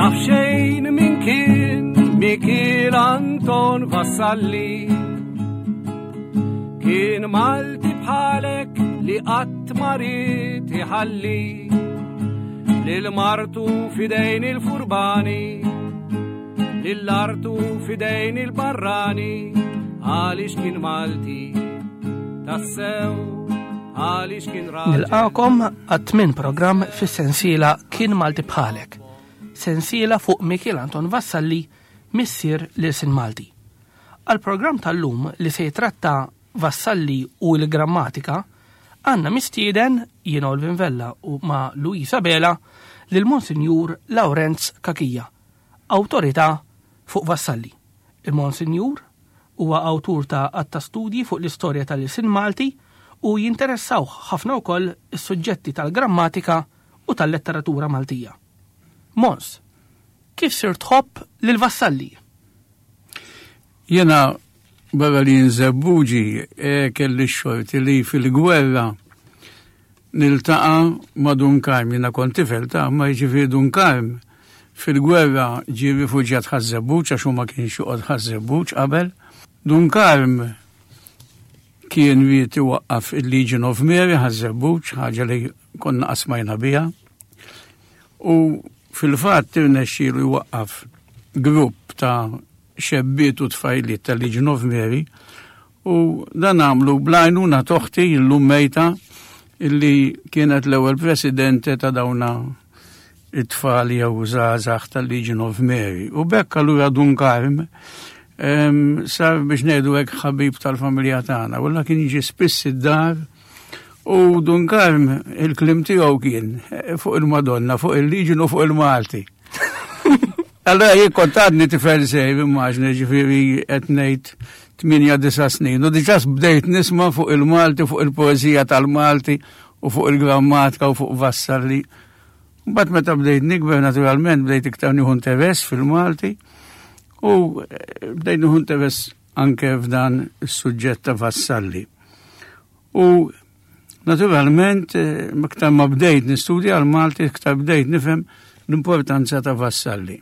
Naf xejn min kien Mikiel Anton Vassalli. Kien Malti bħalek li qatt ma ried iħalli lil martu fidejn il-furbani, lil artu fidejn il-barrani, għaliex kien Malti tassew għaliex kien raġel. Nilqakom għat-tmien programm fis-sensiela Kien Malti Bħalek. Sensiela fuq Mikiel Anton Vassalli, missier l-ilsien Malti. Għall-programm tal-lum li se jitratta Vassalli u l-grammatika, għandna mistieden jien Olvin Vella u ma' Luisa Bela lil Monsinjur Lawrenz Cachia, awtorità fuq Vassalli. Il-Monsinjur huwa awtur ta' għadd ta' studji fuq l-istorja tal-ilsien Malti u jinteressawh ħafna wkoll is-suġġetti tal-grammatika u tal-letteratura Maltija. Mons, kif sirt tħobb lil Vassalli? Jena barra li nżebbuġi e, kelli x-xorti li fil-gwerra niltaqa' ma' Dun Karm, jiena kont tifel ta' ma jiġifieri Dun Karm fil-gwerra ġie rifuġjat Ħaż-Żebbuġ għax hu ma kienx joqgħod Ħaż-Żebbuġ qabel. Dun Karm kien ried iwaqqaf il-Legion of Mary Ħaż-Żebbuġ, ħaġa li konna qasmajna biha. U fil-fatt irnexxielu jwaqqaf grupp ta' xebbiet u tfajliet tal-Legion of Mary u dan għamlu bl-għajnuna t'oħti illum mejta illi kienet l-ewwel presidente ta' dawna it-tfal jew żgħażagħ tal-Legion of Mary. U bekk allura Dun Karm sar biex ngħidu hekk ħabib tal-familja tagħna. Walla kien jiġi spiss id-dar u Dun Karm il-klim tiegħu kien eh, fuq il-Madonna, fuq il-Legion u fuq il-Malti. Allora jien kont għadni tifel sejr, immaġni ġifieri qed ngħid 8-9 snin. U diġà bdejt nisma' fuq il-Malti, fuq il-poeżija tal-Malti u fuq il-grammatika u fuq Vassalli. Mbagħad meta bdejt nikber naturalment bdejt iktar nieħu interess fil-Malti u eh, bdejt nieħu interess anke f'dan is-suġġett ta' Vassalli. U naturalment, eh, iktar ma bdejt nistudja l-Malti, iktar bdejt nifhem l-importanza ta' Vassalli.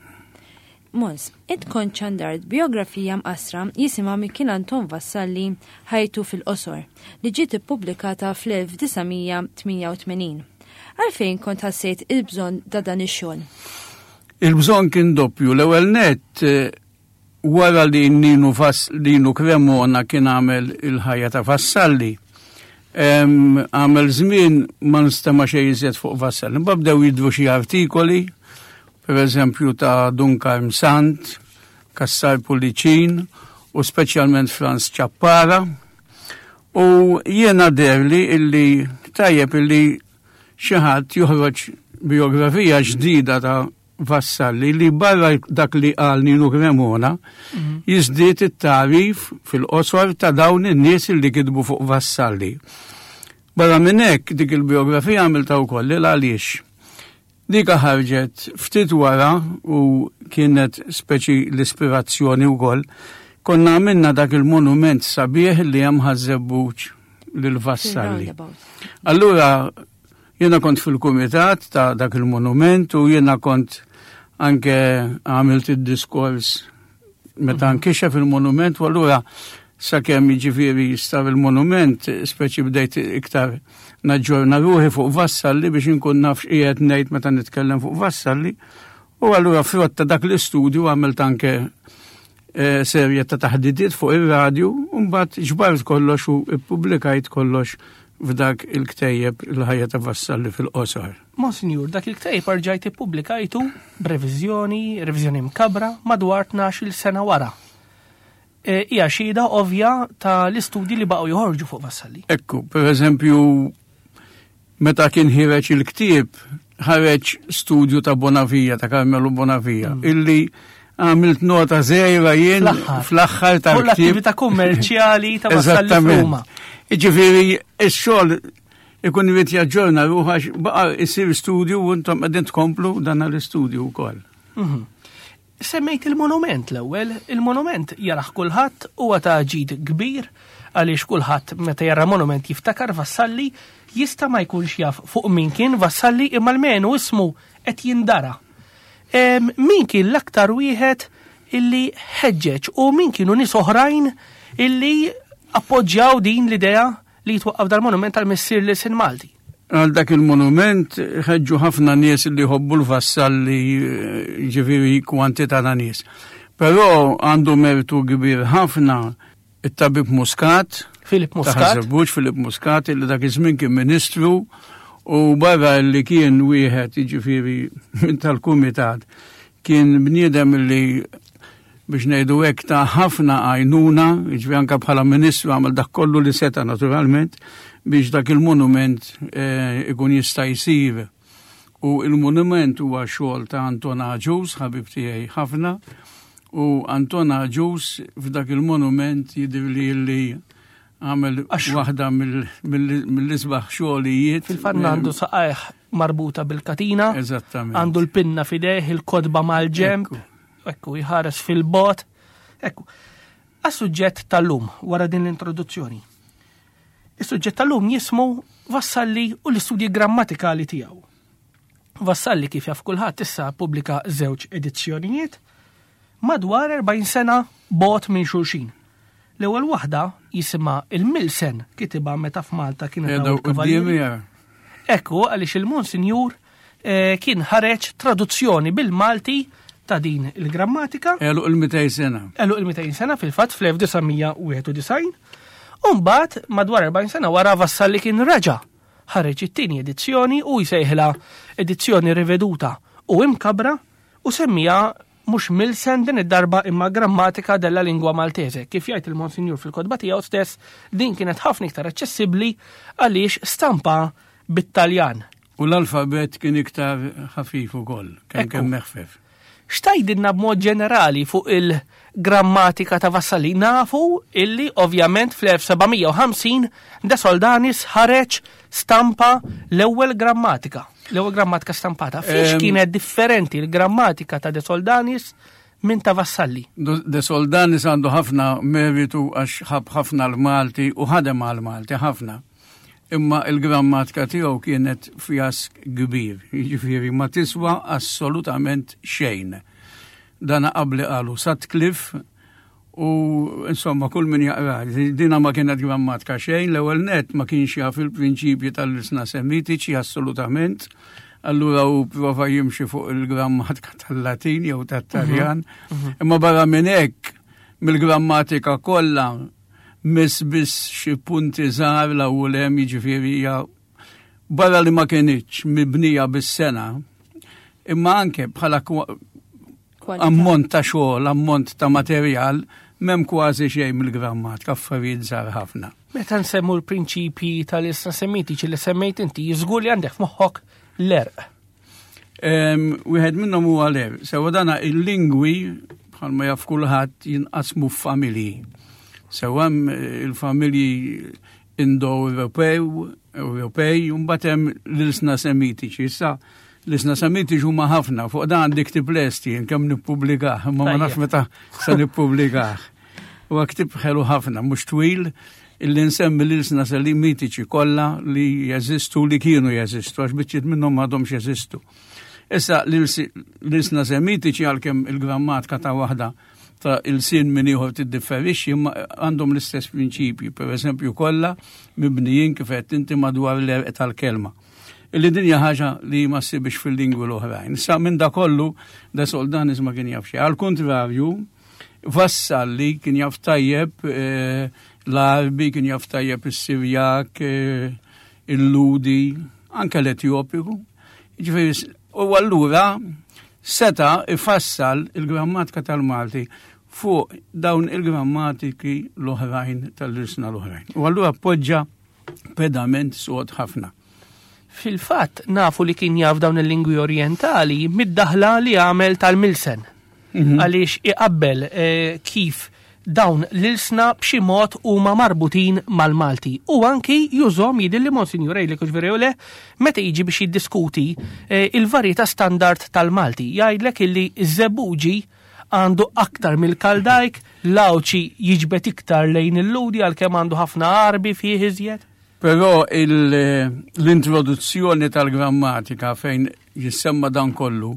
Mons, int kont xandart biografija mqassra jisimha Mikiel Anton Vassalli Ħajtu fil-qosor li ġiet ippubblikata fl-1988. Għalfejn kont ħassejt il-bżonn ta' dan ix-xogħol? Il-bżonn kien doppju. L-ewwel nett eh, Wara li Ninu Vass, Ninu Cremona kien għamel il-ħajja ta' Vassalli, għamel żmien ma nstema' xejn iżjed fuq Vassalli. Mbagħad bdew jidhru xi artikoli, per eżempju ta' Dun Karm Sant, Cassar Pullicin u speċjalment Franz Ciappara. U jiena deherli illi tajjeb illi xi ħadd joħroġ biografija ġdida ta' Vassalli li barra dak li qal Ninu Cremona mhm. jiżdied it-tagħrif fil-qosor ta' dawn in-nies li kitbu fuq Vassalli. Barra minn hekk dik il-biografija għamilta wkoll il għaliex. Dika ħarġet ftit wara u kienet speċi l-ispirazzjoni wkoll konna għamilna dak il-monument sabiħ li hemm Ħaż-Żebbuġ lil Vassalli. Allura Jiena kont fil-kumitat ta' dak il-monument u jiena kont anke għamilt id-diskors meta mhm. nkixef il-monument u allura sakemm jiġifieri jistar il-monument, speċi bdejt iktar naġġorna ruħi fuq Vassalli biex inkun naf x'qiegħed ngħid meta nitkellem fuq Vassalli. U allura frott ta' dak l-istudju għamilt anke eh, serje ta' taħdidiet fuq ir-radju u mbagħad ġbart kollox u ippubblikajt kollox f'dak il-ktejjeb il-ħajja ta' Vassalli fil-qosor. Monsinjur, dak il-ktejjeb rġajt ippubblikajtu b'reviżjoni, reviżjoni mkabra, madwar 12-il sena wara. E, hija xhieda ovvja ta' l-istudji li baqgħu joħorġu fuq Vassalli. Ekku, per eżempju, meta kien ħireġ il-ktieb, ħareġ studju ta' Bonavia, ta' Carmelo Bonavia, mm. illi għamilt nota zejra jien fl-aħħar tal-ktieb. L-attività kummerċjali ta' Vassalli f'Ruma. Jiġifieri x-xogħol ikun irid jaġġorna ruħu għax baqa' isir studju u intom qegħdin tkomplu dan l-istudju wkoll. Mhm. Semmejt il-monument l-ewwel, il-monument jarah kulħadd huwa ta' ġid kbir għaliex kulħadd meta jara monument jiftakar Vassalli jista' ma jkunx jaf fuq min kien Vassalli imma almenu ismu qed jindara. Min kien l-aktar wieħed illi ħeġġeġ u min kienu nies oħrajn illi appoġġjaw din l-idea li jitwaqqaf dal-monument tal-missier l-ilsien Malti? Għal dak il-monument ħeġġu ħafna nies li jħobbu l-Vassalli, ġifieri kwantità ta' nies. Però għandu mertu kbir ħafna it-tabib Muscat, Filip Muscat. Taħ Filip Muscat, li dak iż-żmien kien ministru u barra li kien wieħed jiġifieri minn tal-kumitat kien bniedem li biex ngħidu hekk ta' ħafna għajnuna, jiġifieri anke bħala ministru għamel dak kollu li seta' naturalment biex dak il-monument eh, ikun jista' jsir. U il-monument huwa xogħol ta' Anton Agius, ħabib tiegħi ħafna, u Anton Agius f'dak il-monument jidhirli li għamel waħda mill-isbaħ xogħlijiet. Fil-fatt għandu saqajh marbuta bil-katina. Eżattament. Għandu l-pinna fidejh, il-kotba mal-ġemp. Ekku, jħares fil-bot. Ekku. Għas-suġġett tal-lum, wara din l-introduzzjoni. Is-suġġett tal-lum jismu Vassalli u l-istudji grammatikali tiegħu. Vassalli kif jaf kulħadd issa pubblika żewġ edizzjonijiet madwar 40 sena bogħod minn xulxin. L-ewwel waħda jisimha il-Milsen kitibha meta f'Malta kienet hawn il-Kavallieri. Ekku għaliex il-Monsinjur eh, kien ħareġ traduzzjoni bil-Malti ta' din il-grammatika. Għeluq il-200 sena. Għeluq il-200 sena fil-fatt fl-1991. Umbagħad madwar 40 sena wara Vassalli kien reġa' ħareġ it-tieni edizzjoni u jsejħilha edizzjoni riveduta u imkabra u semmija mhux Milsen din id-darba imma Grammatica della Lingua Maltese. Kif jgħid il-Monsinjur fil-kotba tiegħu stess, din kienet ħafna iktar aċċessibbli għaliex stampa bit-Taljan. U l-alfabet kien iktar ħafif ukoll, kemm kemm meħfef. X'tgħidilna b'mod ġenerali fuq il-grammatika ta' Vassalli? Nafu illi ovvjament fl-1750 De Soldanis ħareġ stampa l-ewwel grammatika, l-ewwel grammatika stampata. Fiex kienet differenti l-grammatika ta' De Soldanis minn ta' Vassalli? De Soldanis għandu ħafna meritu għax ħab ħafna l-Malti u ħadem għal-Malti ħafna. Imma il-grammatika tiegħu kienet fjask kbir, jiġifieri ma tiswa assolutament xejn. Dana qabli qalu Sutcliffe u insomma kull min jaqra, dina ma kienet grammatika xejn, l-ewwel net ma kienx jaf il-prinċipji tal-ilsna semitiċi assolutament, allura u prova jimxi fuq il-grammatika tal-Latin jew tat-Taljan, mhm, mhm. imma barra minn hekk mill-grammatika kollha miss biss xi punti żgħar l u hemm jiġifieri hija barra li ma kinitx mibnija bis-sena, imma anke bħala ammont ta' xogħol, ammont ta' materjal, m'hemm kważi xejn mill-grammatika, affarijiet żgħar ħafna. Meta nsemmu l-prinċipji tal-isra semitiċi li semmejt inti, żgur li għandek f'moħħok l-erq. Wieħed minnhom huwa l-erq. Sewa dana il-lingwi bħalma jaf kulħadd jinqasmu f'familji. Sewa hemm il-familji Indo-Ewropew, Ewropej, u mbagħad hemm l-ilsna Semitiċi. Issa l-ilsna Semitiċi huma ħafna, fuq dan għandi ktieb lest jien kemm nippubblikah, imma ma nafx meta se nippubblikah. Huwa ktieb ħelu ħafna, mhux twil, illi nsemmi l-ilsna Semitiċi kollha li jeżistu li kienu jeżistu, għax biċċiet minnhom m'għadhomx jeżistu. Issa l-ilsna Semitiċi għalkemm il-grammatika ta' waħda ta' ilsien minn ieħor tiddifferixxi imma għandhom l-istess prinċipji, per eżempju kollha mibnijin kif qed inti madwar l-erq tal-kelma. Illi din hija ħaġa li ma ssibx fil-lingwi l-oħrajn. Sa minn da kollu da Soldanis ma kien jaf xejn. Għal kontrarju, Vassalli kien jaf tajjeb eh, l-Arbi, kien jaf tajjeb is-Sirjak, eh, il-Ludi, anke l-Etjopiku. Ġifieri, u allura seta' ifassal il-grammatika tal-Malti fuq dawn il-grammatiki l-oħrajn tal-ilsna l-oħrajn. U allura poġġa pedament sod ħafna. Fil-fatt nafu li kien jaf dawn il-lingwi orjentali mid-daħla li għamel tal-Milsen. Mhm. Għaliex iqabbel eh, kif dawn l-ilsna b'xi mod huma marbutin mal-Malti. U anki jużhom jidhirli Monsinjur għidlek hux vera jew le, meta jiġi biex jiddiskuti eh, il-varjetà standard tal-Malti. Jgħidlek illi ż-Żebbuġi għandu aktar mill-Kaldajk, l-Għawdxi jiġbed iktar lejn il-Lhudi għalkemm għandu ħafna Għarbi fih iżjed. Però l-introduzzjoni tal-grammatika fejn jissemma dan kollu,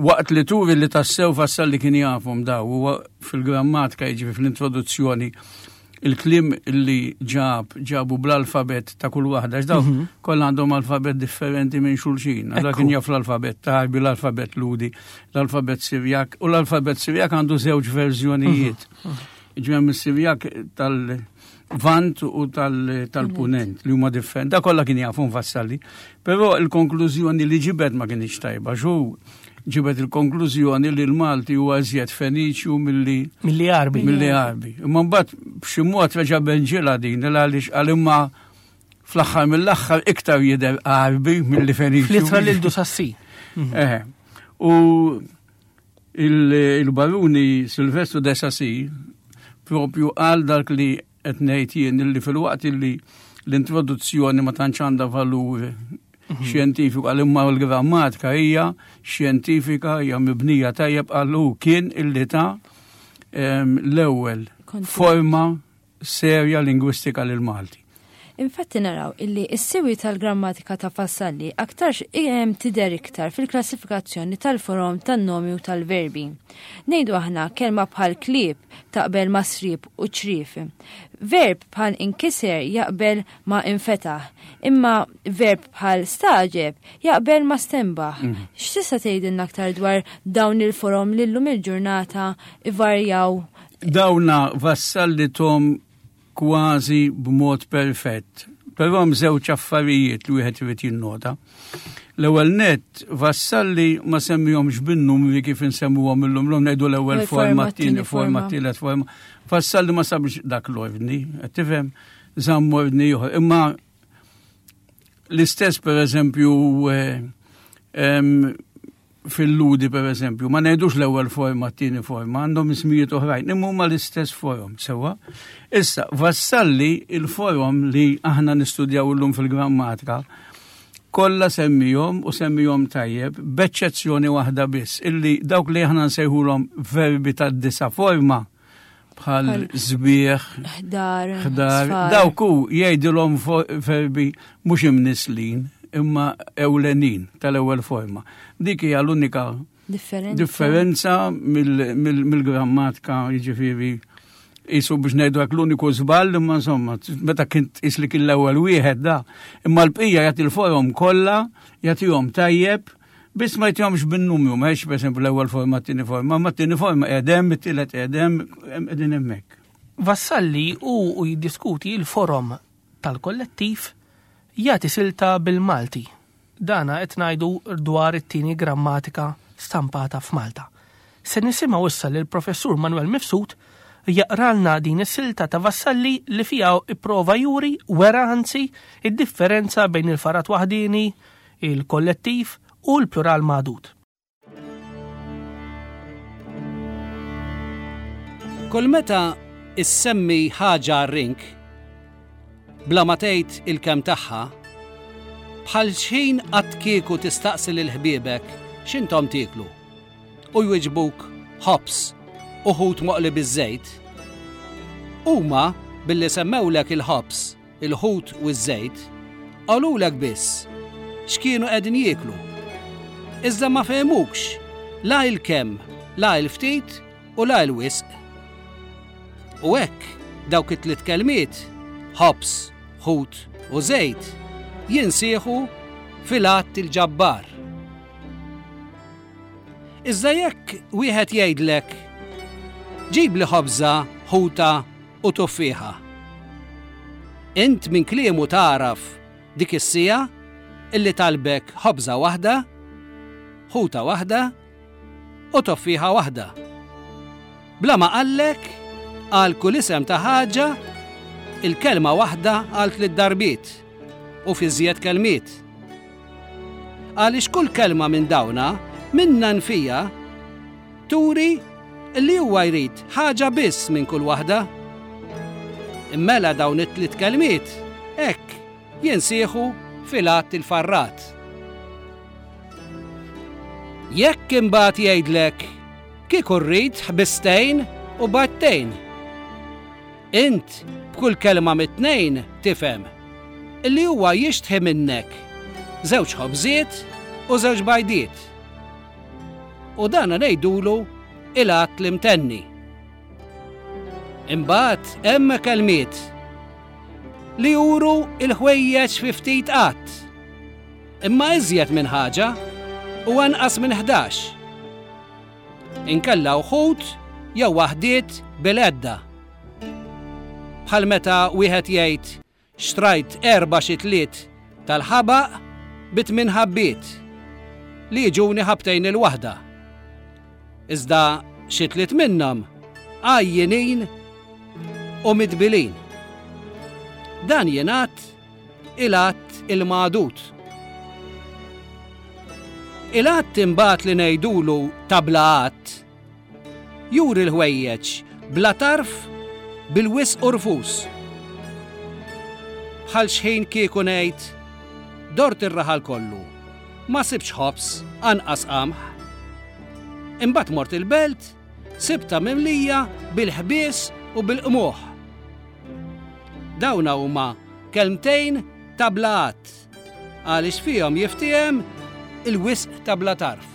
Waqt li turi li tassew Vassalli kien jafhom daw huwa fil-grammatika jiġifieri fl-introduzzjoni il-kliem li ġab ġabu bl-alfabet ta' kull waħda, għax daw mhm. kollha għandhom alfabet differenti minn xulxin. Allora kien jaf l-alfabet Tarbi, l-alfabet Ludi, l-alfabet Sirjak, u l-alfabet Sirjak għandu żewġ verżjonijiet. Mhm. Mhm. Ġemem Sirjak tal-Vant u tal-Punent li huma differenti. Da kollha kien jafhom Vassalli. Però il-konklużjoni li ġibed ma kienx tajba, xu ġibed il-konklużjoni li l-Malti huwa iżjed Feniċju milli milli Għarbi. Milli Għarbi. Imma mbagħad b'xi mod reġa' benġilha din għaliex għal imma fl-aħħar mill-aħħar iktar jidher Għarbi milli Feniċju. Fl-ittra lil Dusassi. Mhm. Eh. U il-baruni Silvestru de Sassi propju għal dak li qed ngħid jien illi filwaqt illi l-introduzzjoni ma tantx għandha valur mhm. xjentifiku għal imma l-grammatika hija xjentifika hija mibnija tajjeb għal hu kien illi ta' l-ewwel forma serja lingwistika lil Malti. Infatti naraw illi s-siwi tal-grammatika ta' Vassalli aktarx tidher iktar fil-klassifikazzjoni tal-forom tan-nomi u tal-verbi. Ngħidu aħna kelma bħal klieb taqbel ma' sriep u ċrief. Verb bħal inkiser jaqbel ma' infetaħ, imma verb bħal stagħġeb jaqbel ma' stenbaħ. Mm. X'tista' tgħidilna aktar dwar dawn il-forom li llum il-ġurnata ivarjaw? Dawna Vassalli tom kważi b'mod perfett. Però hemm żewġ affarijiet li wieħed irid jinnota. L-ewwel nett Vassalli ma semmihomx bin-numri kif insemmuhom illum l ngħidu l-ewwel forma, t-tieni forma, t-tielet forma. Vassalli ma sabx dak l-ordni, qed tifhem, żamm ordni ieħor. Imma l-istess pereżempju eh, fil-ludi per eżempju, ma ngħidux l-ewwel forma, t-tieni forma, għandhom ismijiet oħrajn, imma huma l-istess forom, sewwa. Issa, Vassalli il-forom li aħna nistudjaw illum fil-grammatika, kollha semmihom u semmihom tajjeb, b'eċċezzjoni waħda biss, illi dawk li aħna nsejħulhom verbi tad-disa forma, bħal żbieħ, ħdar, ħdar, dawk hu jgħidilhom verbi mhux imnislin imma ewlenin tal-ewwel forma. Dik hija l-unika differenza mill-grammatika jiġifieri jisu biex ngħidu hekk l-uniku żball imma insomma meta kien tqis li kien l-ewwel wieħed da. Imma l-bqija jagħti l-forom kollha, jagħtihom tajjeb, Biss ma jtihomx bin-numru, ma jgħidx pereżempju l-ewwel forma t-tieni forma, ma t-tieni forma qiegħed it-tielet qiegħed hemm, qegħdin hemmhekk. Vassalli hu u jiddiskuti l-forom tal-kollettiv jagħti silta bil-Malti. Dana qed ngħidu dwar it-tieni grammatika stampata f'Malta. Se nisimgħu issa lill-Professur Manuel Mifsud jaqralna din is-silta ta' Vassalli li fiha ipprova juri, wera anzi, id-differenza bejn il-farat waħdieni, il-kollettiv u l-plural magħdud. Kull meta issemmi ħaġa rink, bla ma tgħid il-kemm tagħha, bħal xħin qatt kieku tistaqsi lil ħbiebek x'intom tieklu u jwiġbuk ħobż u ħut moqli biż-żejt. Huma billi semmewlek il-ħobż il-ħut u ż-żejt, qalulek biss x'kienu qegħdin jieklu. Iżda ma fehmukx la il-kemm, la il-ftit u la il-wisq. U hekk dawk it-tliet kelmiet, ħobż, ħut u żejt, jinsieħu fil-għadd il-ġabbar. Iżda jekk wieħed jgħidlek, ġibli ħobża, ħuta u tuffieħa. Int minn kliemu tagħraf dik is-siegħa illi talbek ħobża waħda, ħuta waħda u toffieħa waħda. Bla ma qallek għal kull isem ta' ħaġa il-kelma waħda għal tliet darbiet u fi żjed kelmiet. Għaliex kull kelma minn dawna minna nfija Turi li huwa jrid ħaġa biss minn kull waħda. Immela dawn it-tliet kelmiet hekk jinsieħu fil-għadd il-farrat. Jekk imbagħad jgħidlek kieku rrid ħbistejn u battejn. Int b'kull kelma mit-tnejn tifhem li huwa jixtħi minnek żewġ ħobżiet u żewġ bajdiet. U dana ngħidulu il-għadd l-imtenni. Imbagħad hemm kelmiet li juru il-ħwejjeġ fi ftit għadd. Imma iżjed minn ħaġa u anqas minn 11. Inkella wħud jew waħdiet bil-għedda. Bħal meta wieħed jgħid Xtrajt erba' xitliet tal-ħabaq bi tmien ħabbiet, li jiġuni ħabbtejn il-waħda. Iżda xi tliet minnhom għajjinin u midbilin. Dan jingħad il-għadd il-magħdud. Il-għadd imbagħad li ngħidulu ta' bla għadd Juri l-ħwejjeġ bla tarf bil-wisq u rfus. Bħal xħin kieku ngħid, dort ir-raħal kollu, ma sibtx ħobż anqas qamħ. Imbagħad mort il-belt, sibtha mimlija bil-ħbies u bil-qmuħ. Dawna huma kelmtejn ta' bla għadd. Għaliex fihom jiftiehem il-wisq ta' bla tarf.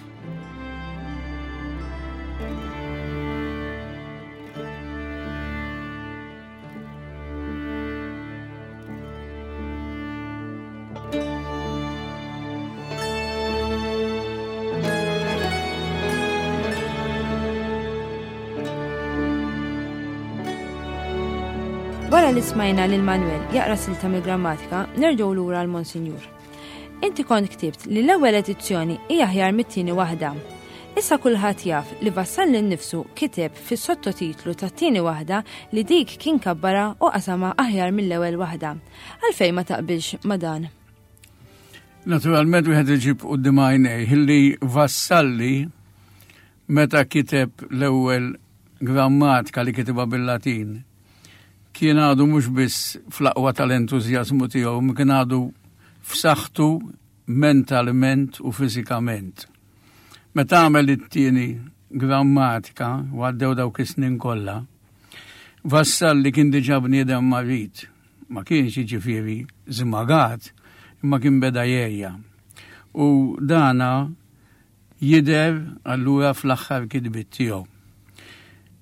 Wara li smajna lil Manuel jaqra silta mill-grammatika, nerġgħu lura għal Monsinjur. Inti kont ktibt li l-ewwel edizzjoni hija aħjar mit-tieni waħda. Issa kulħadd jaf li Vassalli nnifsu kiteb fis-sottotitlu tat-tieni waħda li dik kien kabbarha u qasamha aħjar mill-ewwel waħda. Għalfejn ma taqbilx ma' dan? Naturalment wieħed iġib quddiem għajnejh li Vassalli meta kiteb l-ewwel grammatika li kitibha bil-Latin kien għadu mhux biss fl-aqwa tal-entużjażmu tiegħu, ma kien għadu f'saħħtu mentalment u fiżikament. Meta għamel it-tieni grammatika u għaddew dawk is-snin kollha, Vassalli kien diġà bniedem marid, ma kienx jiġifieri żmagat, imma kien beda jgħejja. U dana jidher allura fl-aħħar kitbiet tiegħu.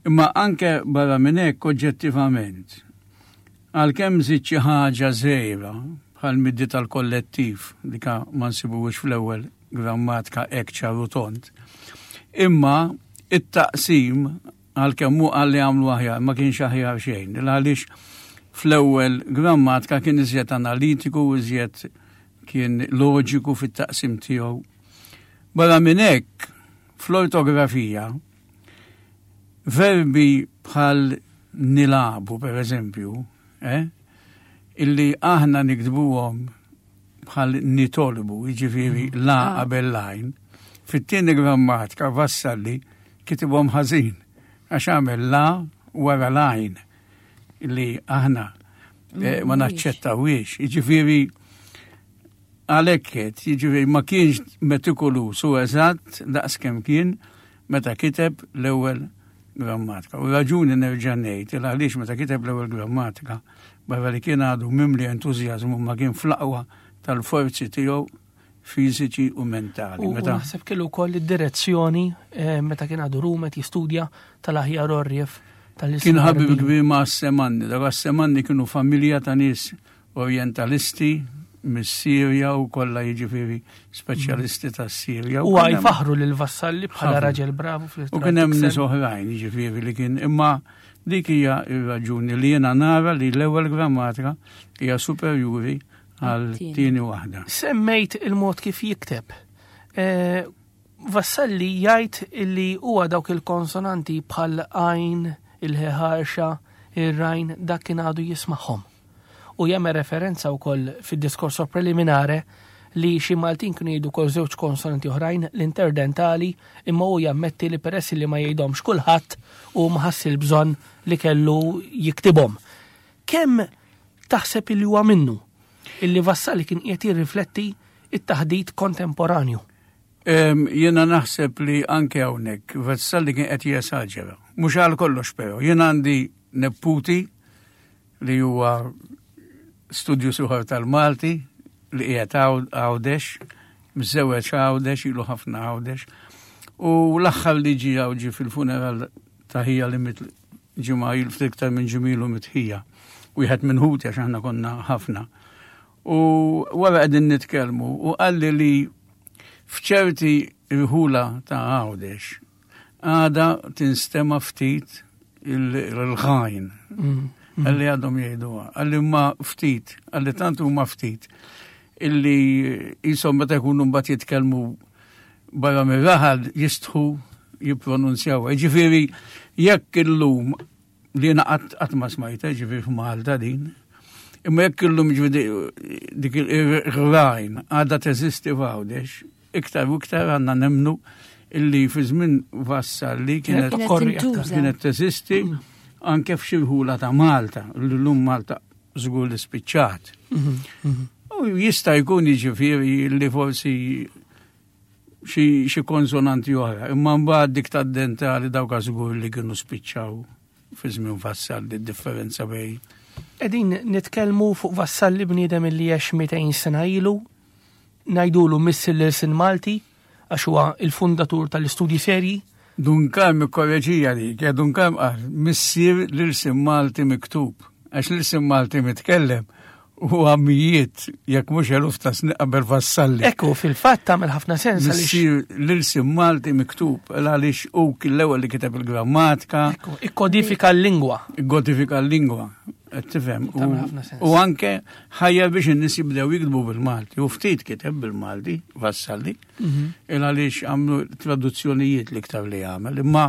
Imma anke barra minn hekk oġġettivament, għalkemm żied xi ħaġa żgħira bħal middi tal-kollettiv dika ma nsibuhiex fl-ewwel grammatika hekk ċar u tond. Imma it-taqsim għalkemm hu qal li għamlu aħjar ma kienx aħjar xejn. Għaliex fl-ewwel grammatika kien iżjed analitiku, iżjed kien loġiku fit-taqsim tiegħu. Barra minn hekk, fl-ortografija, verbi bħal nilabu, per eżempju, eh, illi aħna niktbuhom bħal nitolbu, jiġifieri mm. la ah. qabel lajn, fit-tieni grammatika Vassalli kitibhom ħażin għax għamel la wara lajn li aħna eh, ma naċċettawiex. Jiġifieri għalhekk qed, jiġifieri ma kienx metikulus u eżatt daqskemm kien meta kiteb l-ewwel grammatika. U raġuni nerġa' ngħid il għaliex meta kiteb l-ewwel grammatika barra li kien għadu mimli entużjażmu ma kien fl-aqwa tal-forzi tiegħu fiżiċi u mentali. U meta naħseb kellu wkoll id-direzzjoni eh, meta kien għadu rumet jistudja tal-aħjar orrjef tal Kien ħabib kbir ma' Semanni, dak Semanni kienu familja ta' nies Orientalisti mis-Sirja u kollha jiġifieri speċjalisti tas-Sirja. U għaj faħru lil Vassalli bħala raġel bravu fl U kien hemm nies oħrajn jiġifieri li kien imma dik hija r-raġuni li jiena nara li l-ewwel grammatika hija superjuri għal tieni waħda. Semmejt il-mod kif jikteb. Eh, Vassalli jgħid illi huwa dawk il-konsonanti bħal għajn, il-ħarxa, ir-rajn dak kien għadu jismagħhom. U jagħmel referenza wkoll fid-discorso preliminare li xi Maltin kienu jgħidu wkoll żewġ konsonanti oħrajn l-interdentali imma hu jammetti li peress li ma jgħidhomx kulħadd u ma ħass il-bżonn li kellu jiktibhom. Kemm taħseb illi huwa minnu illi Vassalli kien qiegħed jirrifletti it-taħdit kontemporanju? Jiena naħseb li anke hawnhekk Vassalli kien qed jesaġera. Mhux għal kollox però, jiena għandi neputi li huwa studju suħar tal-Malti li qiegħed Għawdex, miżewweġ Għawdex, ilu ħafna Għawdex. U l-aħħar li ġie hawn ġie fil-funeral ta' ħija li miet ġimgħa ilu ftit iktar minn ġimilu miet ħija. Wieħed minn ħuti għax aħna konna ħafna. U wara qegħdin nitkellmu u qalli li f'ċerti rħula ta' Għawdex għada tinstema ftit il-ħajn. Għalli għadhom jgħiduha, għalli ma ftit, għalli tant huma ftit illi jisom meta jkunu mbagħad jitkellmu barra mir-raħal jistħu jippronunzjaw. Ġifieri jekk illum li jiena qatt ma smajta ġifieri f'Malta din, imma jekk illum ġifieri dik il-rajn għadha teżisti f'Għawdex, iktar u iktar għandna nemnu illi fi żmien Vassalli kienet kienet teżisti anke f'xi rħula ta' Malta, l-lum Malta żgur li spiċċat. Mhm, mhm. U jista' jkun jiġifieri li forsi xi konsonanti oħra, imma mbagħad dik tad-dentali dawk żgur li kienu spiċċaw fi żmien Vassalli differenza bej. Qegħdin nitkellmu fuq Vassalli bniedem li għex 200 sena ilu, ngħidulu missier l-ilsien Malti għax huwa il-fundatur tal-istudji serji. Dun Karm ikkoreġija dik, ja Dun Karm qal missier l-ilsien Malti miktub, għax l-ilsien Malti mitkellem huwa mijiet jekk mhux eluf ta' snin qabel Vassalli. Ekku, fil-fatt tagħmel ħafna sens għaliex. Missier l-ilsien Malti miktub għaliex hu kien l-ewwel li kiteb il-grammatika. Ekku, ikkodifika l-lingwa. Ikkodifika l-lingwa. Qed tifhem. U anke ħajja biex in-nies jibdew jiktbu bil-Malti. U ftit kiteb bil-Malti, Vassalli, mhm. il għaliex għamlu traduzzjonijiet l-iktar li għamel, imma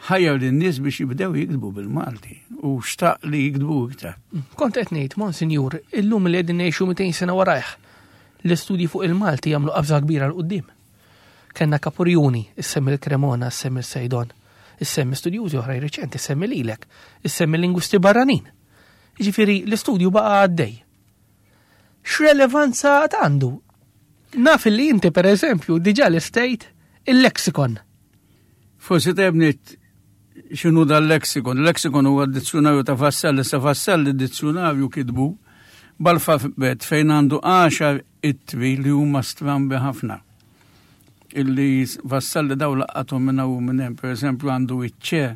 ħajja lin-nies biex jibdew jiktbu bil-Malti u xtaq li jiktbu iktar. Kont qed ngħid, Monsinjur, illum li qegħdin ngħixu 200 sena warajh, l-istudji fuq il-Malti jagħmlu qabża kbira 'l quddiem. Kellna Kapurjuni, issemmi l-Cremona, issemmi l-Saydon, issemmi studjużi oħrajn riċenti, issemmi lilek, issemmi lingwisti barranin. Jiġifieri l-istudju baqa' għaddej. X'relevanza għad għandu? Naf li inti per eżempju diġà lestejt il-lexikon. Forsi tajjeb ngħid x'inhu dal-lexikon. Il-lexikon huwa d-dizzjunarju ta' Vassalli, sa Vassalli d-dizzjunarju kitbu b'alfabet fejn għandu għaxar ittri li huma strambi ħafna. Illi Vassalli daw laqathom minn hawn u minn hemm, pereżempju għandu iċ-ċe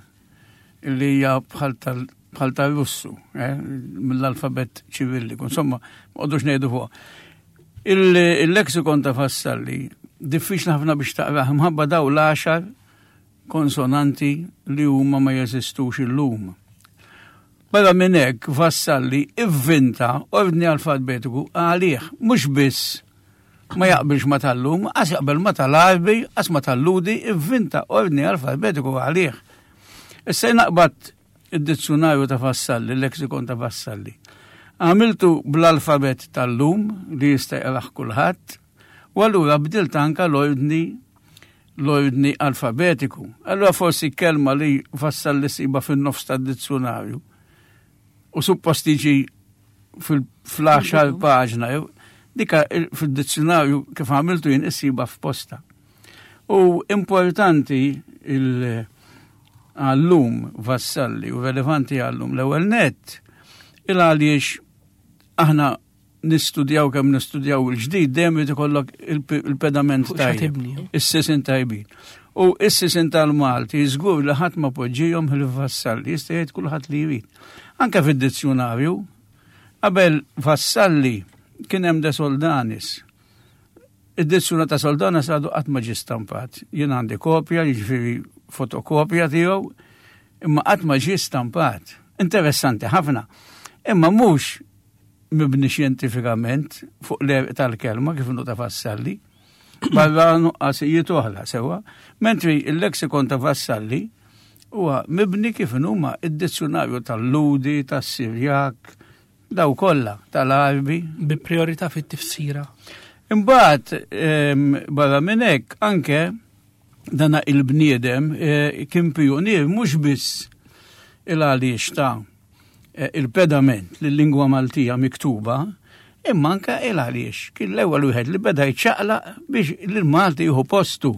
illi hija bħal tal bħal tal-Russu, eh, mill-alfabet ċivilliku, insomma, ma qogħdux ngħidu fuq. Il-lexikon ta' Vassalli diffiċli ħafna biex taqrah imħabba daw l-għaxar konsonanti li huma ma jeżistux illum. Barra minn hekk Vassalli ivvinta ordni alfabetiku għalih, mhux biss ma jaqbilx ma tal-lum, għas jaqbel ma tal-Arbi, għas ma tal-Ludi, ivvinta ordni alfabetiku għalih. Issa naqbad id-dizzjunarju ta' Vassalli, l-lexikon ta' Vassalli. Għamiltu bl-alfabet tal-lum li jista' jaqrah kulħadd, u allura bdilt anka l-ordni l-ordni alfabetiku. Allura forsi kelma li Vassalli siba fin-nofs tad-dizzjunarju u suppost tiġi fil-10 paġna, dika fil-dizzjunarju kif għamiltu jien issiba f'posta. U importanti il- għallum Vassalli u relevanti għallum l-ewwel net il għaliex aħna nistudjaw kemm nistudjaw il-ġdid dejjem irid ikollok il-pedament tajjeb, is-sisin tajbin. U is-sisin tal-Malti żgur li ħadd ma poġġihom il-Vassalli, jista' jgħid kulħadd li jrid. Anke fid-dizzjunarju, qabel Vassalli kien hemm De Soldanis. Id-dizzjuna ta' Soldanis għadu qatt ma ġie stampat. Jien għandi kopja, jiġifieri fotokopja tiegħu, imma qatt ma ġie stampat. Interessanti ħafna. Imma mhux mibni xjentifikament fuq l-għerq tal-kelma kif inhu ta' Vassalli, barra nuqqasijiet oħra sewwa, mentri il-lexikon ta' Vassalli huwa mibni kif huma id-dizzjunarju tal-Ludi, tas-Sirjak, daw kollha tal-Arbi. Bi priorità fit-tifsira. Imbagħad ehm, barra minn hekk anke dana il-bniedem eh, kien pionier mhux biss il-għaliex ta' eh, il-pedament lill-lingwa Maltija miktuba, imma anke il għaliex kien l-ewwel wieħed li beda jċaqlaq biex l-Malti jieħu postu.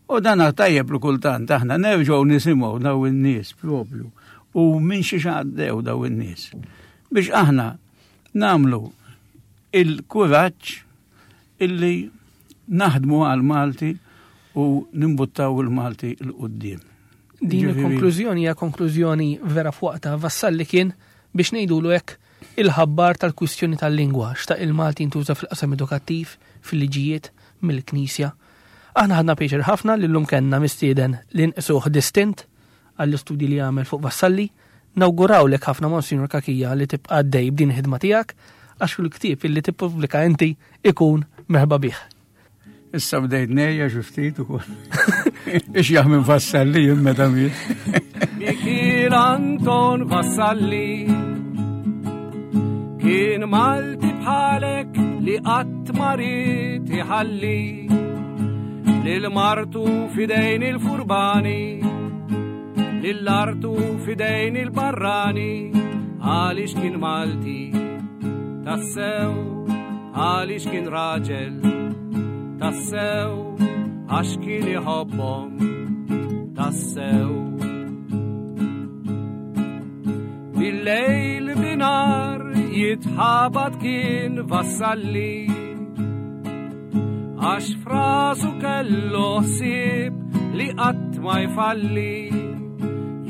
U dan tajjeb li kultant aħna nerġgħu nisimgħu daw in-nies propju u minn xi għaddew daw in-nies. Biex aħna namlu il-kuraġġ illi naħdmu għal Malti u nimbuttaw il-Malti 'l quddiem. Din il-konklużjoni hija konklużjoni vera f'waqtha. Vassalli kien biex ngħidulu hekk il-ħabbar tal-kwistjoni tal-lingwa, xtaq il-Malti jintuża fil-qasam edukattiv, fil-liġijiet, mill-Knisja. Aħna ħadna pjaċir ħafna li llum kellna mistieden li nqisuh distint għall-istudji li għamel fuq Vassalli. Nawgurawlek ħafna Monsinjur Cachia li tibqa' għaddej b'din il-ħidma tiegħek għax kull ktieb illi tippubblika inti ikun merħba bih. Issa bdejt nejja xi ftit ukoll. Ix jaħmel Vassalli jien meta miet. Mikiel Anton Vassalli kien Malti bħalek li qatt ma ried iħalli lil martu fidejn il-furbani lil artu fidejn il-barrani għaliex kien Malti tassew għaliex kien raġel tassew għax kien iħobbhom tassew. Bil-lejl binar jitħabat kien Vassalli għax frasu kellu ħsieb li qatt ma jfalli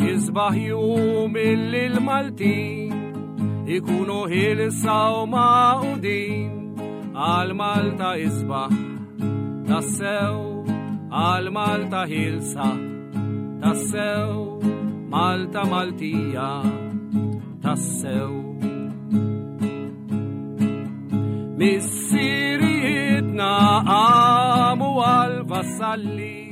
jisbaħ jum illi l-Maltin ikunu ħilsa u magħqudin għal Malta isbaħ tassew għal Malta ħilsa tassew Malta Maltija tassew. Missirijietna qamu għal Vassalli.